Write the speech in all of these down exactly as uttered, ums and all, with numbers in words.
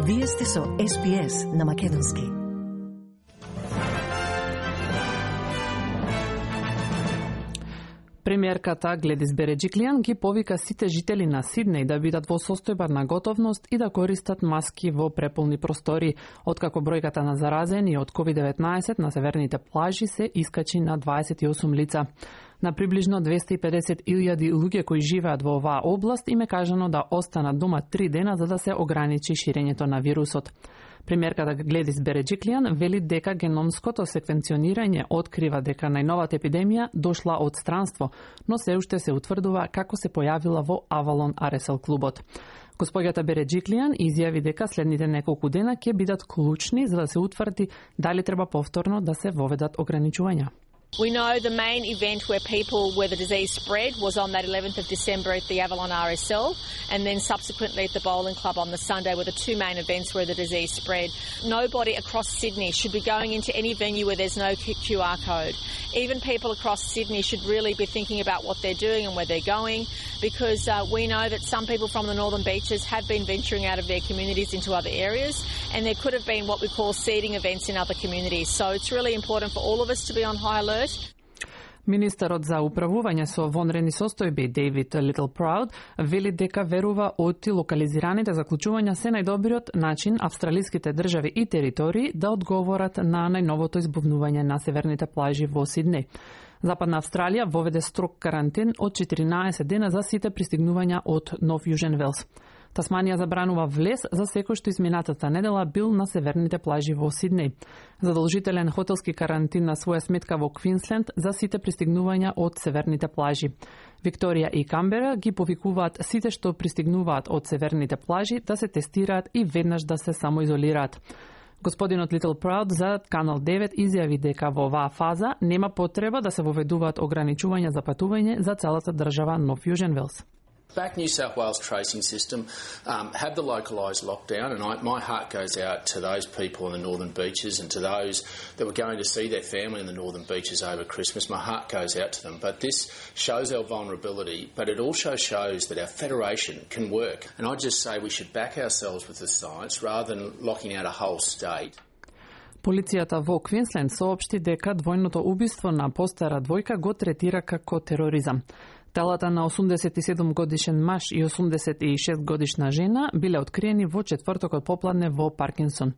Вие сте со Ес Би Ес на македонски. Премиерката Гледис Береджиклијан ги повика сите жители на Сиднеј да бидат во состојба на готовност и да користат маски во преполни простори, откако бројката на заразени од ковид деветнаесет на северните плажи се искачи на дваесет и осум лица. На приближно двесте и педесет илјади луѓе кои живеат во оваа област им е кажано да останат дома три дена за да се ограничи ширењето на вирусот. Премиерката Гледис Береджиклијан вели дека геномското секвенционирање открива дека најновата епидемија дошла од странство, но се уште се утврдува како се појавила во Авалон Ар Ес Ел клубот. Господјата Береджиклијан изјави дека следните неколку дена ќе бидат клучни за да се утврди дали треба повторно да се воведат ограничувања. We know the main event where people, where the disease spread was on that eleventh of December at the Avalon R S L, and then subsequently at the Bowling Club on the Sunday were the two main events where the disease spread. Nobody across Sydney should be going into any venue where there's no Q R code. Even people across Sydney should really be thinking about what they're doing and where they're going, because uh, we know that some people from the Northern Beaches have been venturing out of their communities into other areas, and there could have been what we call seeding events in other communities. So it's really important for all of us to be on high alert. Министерот за управување со вонредни состојби Дейвид Литлпроуд вели дека верува оти локализираните заклучувања се најдобриот начин австралиските држави и територии да одговорат на најновото избувнување на северните плажи во Сиднеј. Западна Австралија воведе строг карантин од четиринаесет дена за сите пристигнувања од Нов Јужен Велс. Тасманија забранува влез за секој што изминатата недела бил на северните плажи во Сиднеј. Задолжителен хотелски карантин на своја сметка во Квинсленд за сите пристигнувања од северните плажи. Викторија и Камбера ги повикуваат сите што пристигнуваат од северните плажи да се тестираат и веднаш да се самоизолираат. Господинот Литлпроуд за Канал девет изјави дека во оваа фаза нема потреба да се воведуваат ограничувања за патување за целата држава Нов Јужен Велс. Back New South Wales tracing system um, had the localised lockdown, and I, my heart goes out to those people in the Northern Beaches and to those that were going to see their family in the Northern Beaches over Christmas. My heart goes out to them. But this shows our vulnerability, but it also shows that our federation can work. And I just say we should back ourselves with the science rather than locking out a whole state. Полицијата во Квинсленд соопшти дека двојното убиство на постара двојка го третира како тероризам. Телата на осумдесет и седум годишен маж и осумдесет и шест годишна жена биле откриени во четвртокот попладне во Паркинсон.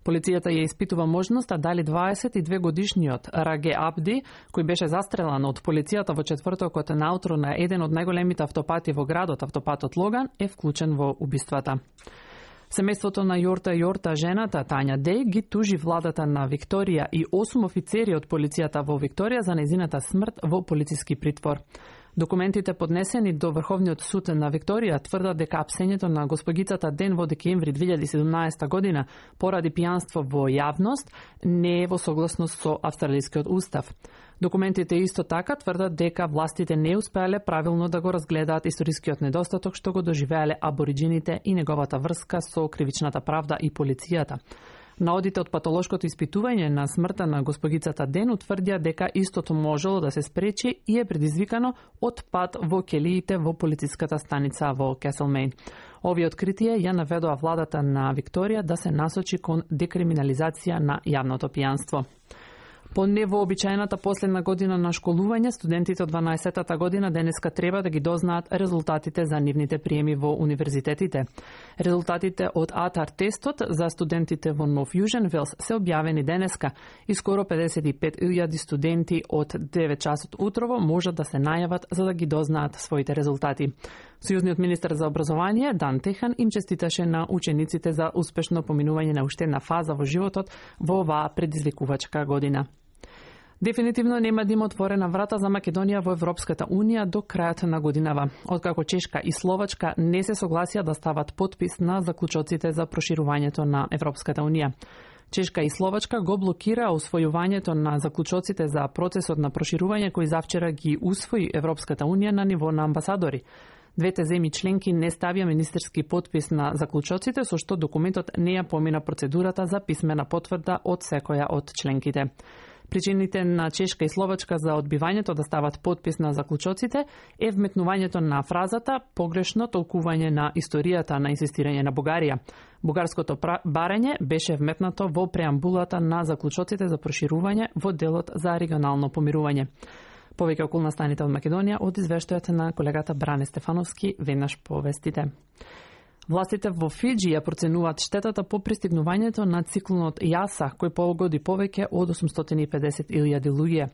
Полицијата ја испитува можноста дали дваесет и две годишниот Раге Абди, кој беше застрелан од полицијата во четвртокот наутро на еден од најголемите автопати во градот, автопатот Логан, е вклучен во убиствата. Семејството на Јорта Јорта, жената Тања Деј, ги тужи владата на Викторија и осум офицери од полицијата во Викторија за нејзината смрт во полициски притвор. Документите поднесени до Врховниот суд на Викторија тврдат дека апсењето на госпогицата Ден во декември две илјади и седумнаесета година поради пијанство во јавност не е во согласност со австралискиот устав. Документите исто така тврдат дека властите не успеале правилно да го разгледаат историскиот недостаток што го доживеале абориджините и неговата врска со кривичната правда и полицијата. Наодите од патолошкото испитување на смртта на госпогицата Ден утврдија дека истото можело да се спречи и е предизвикано од пат во келиите во полициската станица во Кеселмејн. Овие откритија ја наведоа владата на Викторија да се насочи кон декриминализација на јавното пијанство. По невообичаената последна година на школување, студентите од дванаесеттата година денеска треба да ги дознаат резултатите за нивните приеми во универзитетите. Резултатите од АТАР тестот за студентите во Нов Јужен Велс се објавени денеска и скоро педесет и пет илјади студенти од девет часот утрово можат да се најават за да ги дознаат своите резултати. Сојузниот министер за образование Дан Техан им честиташе на учениците за успешно поминување на уште една фаза во животот во оваа предизвикувачка година. Дефинитивно нема да има отворена врата за Македонија во Европската Унија до крајот на годинава, откако Чешка и Словачка не се согласија да стават потпис на заклучоците за проширувањето на Европската Унија. Чешка и Словачка го блокира усвојувањето на заклучоците за процесот на проширување кој завчера ги усвои Европската Унија на ниво на амбасадори. Двете земји членки не ставија министерски потпис на заклучоците, со што документот не ја помина процедурата за писмена потврда од секоја од членките. Причините на Чешка и Словачка за одбивањето да стават подпис на заклучоците е вметнувањето на фразата погрешно толкување на историјата на инсистирање на Бугарија. Бугарското барање беше вметнато во преамбулата на заклучоците за проширување во делот за регионално помирување. Повеќе околна станите од Македонија од извештајот на колегата Бране Стефановски, веднаш повестите. Властите во Фиџи ја проценуваат штетата по пристигнувањето на циклонот Јаса, кој погоди повеќе од осумстотини и педесет илјади луѓе.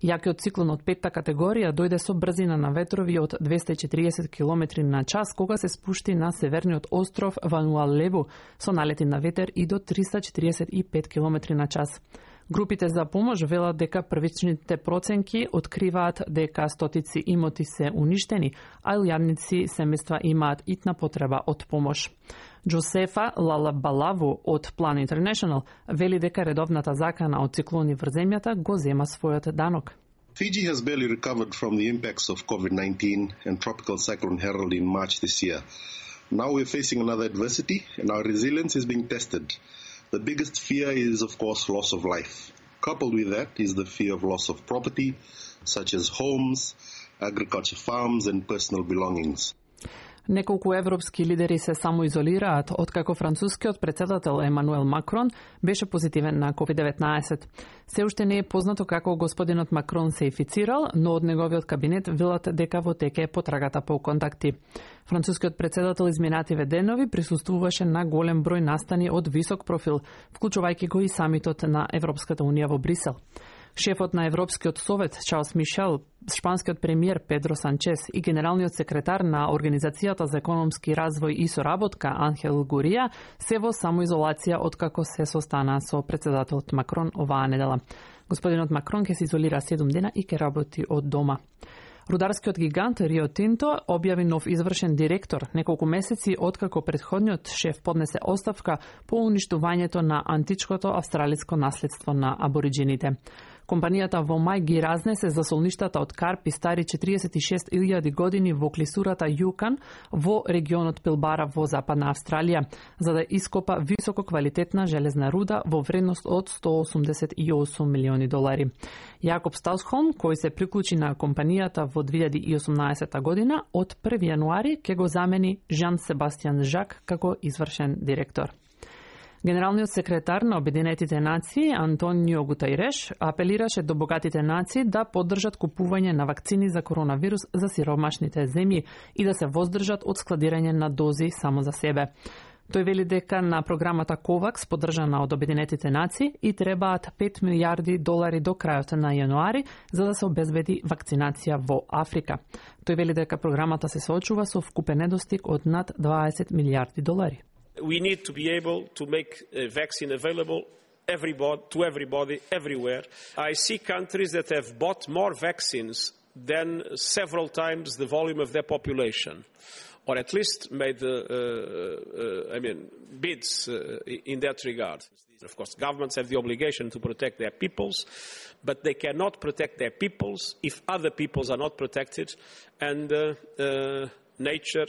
Јакиот циклон од петта категорија дојде со брзина на ветрови од двесте и четириесет километри на час, кога се спушти на северниот остров Вануалеву со налети на ветер и до триста четириесет и пет километри на час. Групите за помош велат дека првичните проценки откриваат дека стотици имоти се уништени, а илјадници семејства имаат итна потреба од помош. Джосефа Лалабалаву од Plan International вели дека редовната закана од циклони врз земјата го зема својот данок. Fiji has barely recovered from the impacts of COVID nineteen and Tropical Cyclone Harold in March this year. Now we're facing another adversity and our resilience is being tested. The biggest fear is, of course, loss of life. Coupled with that is the fear of loss of property, such as homes, agriculture farms and personal belongings. Неколку европски лидери се самоизолираат откако францускиот претседател Емануел Макрон беше позитивен на ковид деветнаесет. Се уште не е познато како господинот Макрон се инфицирал, но од неговиот кабинет велат дека во теке е потрагата по контакти. Францускиот претседател изминативе денови присуствуваше на голем број настани од висок профил, вклучувајќи го и самитот на Европската унија во Брисел. Шефот на Европскиот совет Чарлс Мишел, шпанскиот премиер Педро Санчес и генералниот секретар на Организацијата за економски развој и соработка Анхел Гурија се во самоизолација откако се состана со претседателот Макрон оваа недела. Господинот Макрон ќе се изолира седум дена и ќе работи од дома. Рударскиот гигант Рио Тинто објави нов извршен директор неколку месеци откако претходниот шеф поднесе оставка по уништувањето на античкото австралиско наследство на абориджините. Компанијата во мај ги разнесе засолништата од карпи стари четириесет и шест илјади години во клисурата Јукан во регионот Пилбара во Западна Австралија, за да ископа високо квалитетна железна руда во вредност од сто осумдесет и осум милиони долари. Јакоб Стаусхолм, кој се приклучи на компанијата во две илјади и осумнаесета година, од први јануари ќе го замени Жан Себастијан Жак како извршен директор. Генералниот секретар на Обединетите нации Антонио Гутајреш апелираше до богатите нации да поддржат купување на вакцини за коронавирус за сиромашните земји и да се воздржат од складирање на дози само за себе. Тој вели дека на програмата ковакс, поддржана од Обединетите нации, и требаат пет милијарди долари до крајот на јануари за да се обезбеди вакцинација во Африка. Тој вели дека програмата се соочува со вкупен недостиг од над дваесет милијарди долари. We need to be able to make a vaccine available everybody, to everybody, everywhere. I see countries that have bought more vaccines than several times the volume of their population, or at least made, uh, uh, I mean, bids uh, in that regard. Of course, governments have the obligation to protect their peoples, but they cannot protect their peoples if other peoples are not protected, and uh, uh, nature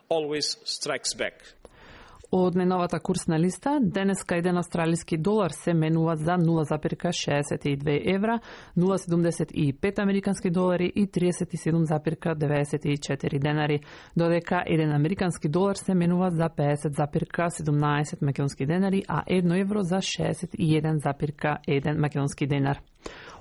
always strikes back. Од најновата курсна листа, денеска еден австралиски долар се менува за нула запирка шеесет и две евра, нула седумдесет и пет американски долари и триесет и седум запирка деветдесет и четири денари, додека еден американски долар се менува за пеесет запирка седумнаесет македонски денари, а едно евро за шеесет и еден запирка еден македонски денар.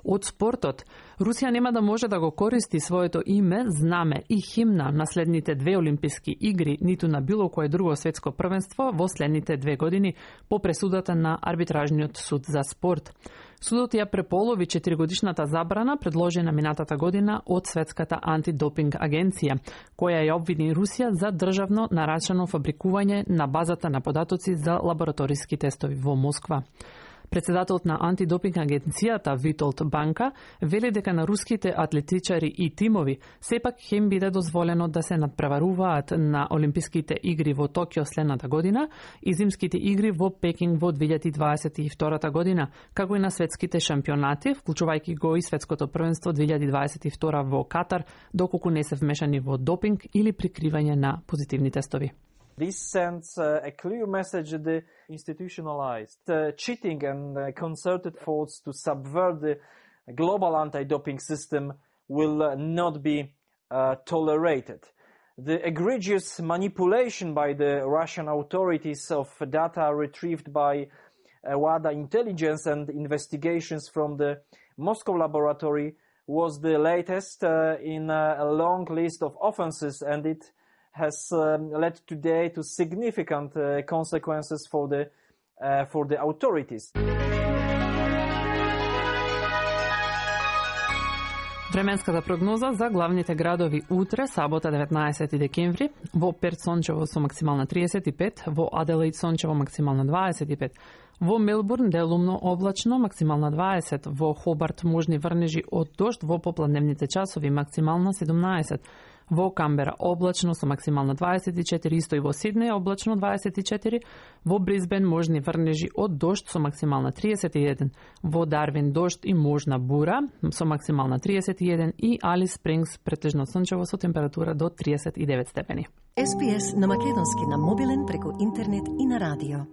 Од спортот, Русија нема да може да го користи своето име, знаме и химна на следните две олимписки игри, ниту на било кое друго светско првенство во следните две години по пресудата на арбитражниот суд за спорт. Судот ја преполови четиригодишната забрана предложена минатата година од Светската антидопинг агенција, која ја обвини Русија за државно нарачано фабрикување на базата на податоци за лабораториски тестови во Москва. Председателот на антидопинг агенцијата Витолд Банка вели дека на руските атлетичари и тимови сепак ќе им биде дозволено да се надпреваруваат на Олимписките игри во Токио следната година и Зимските игри во Пекинг во две илјади дваесет и втора година, како и на светските шампионати, вклучувајќи го и светското првенство две илјади дваесет и втора во Катар, доколку не се вмешани во допинг или прикривање на позитивни тестови. This sends uh, a clear message that the institutionalized uh, cheating and uh, concerted efforts to subvert the global anti-doping system will uh, not be uh, tolerated. The egregious manipulation by the Russian authorities of data retrieved by uh, WADA intelligence and investigations from the Moscow laboratory was the latest uh, in uh, a long list of offenses, and it has um, led today to significant uh, consequences for the uh, for the authorities. Временската прогноза за главните градови утре, сабота деветнаесети декември, во Перт сончево со максимална триесет и пет, во Аделаид сончево максимална дваесет и пет, во Мелбурн делумно облачно максимална дваесет, во Хобарт можни врнежи од дожд во попладневните часови максимална седумнаесет, во Камбера облачно со максимална дваесет и четири, исто и во Сиднеј облачно дваесет и четири, во Брисбен можни врнежи од дожд со максимална триесет и еден, во Дарвин дожд и можна бура со максимална триесет и еден и Алис Спрингс претежно сончево со температура до триесет и девет степени. Ес Би Ес на македонски на мобилен преку интернет и на радио.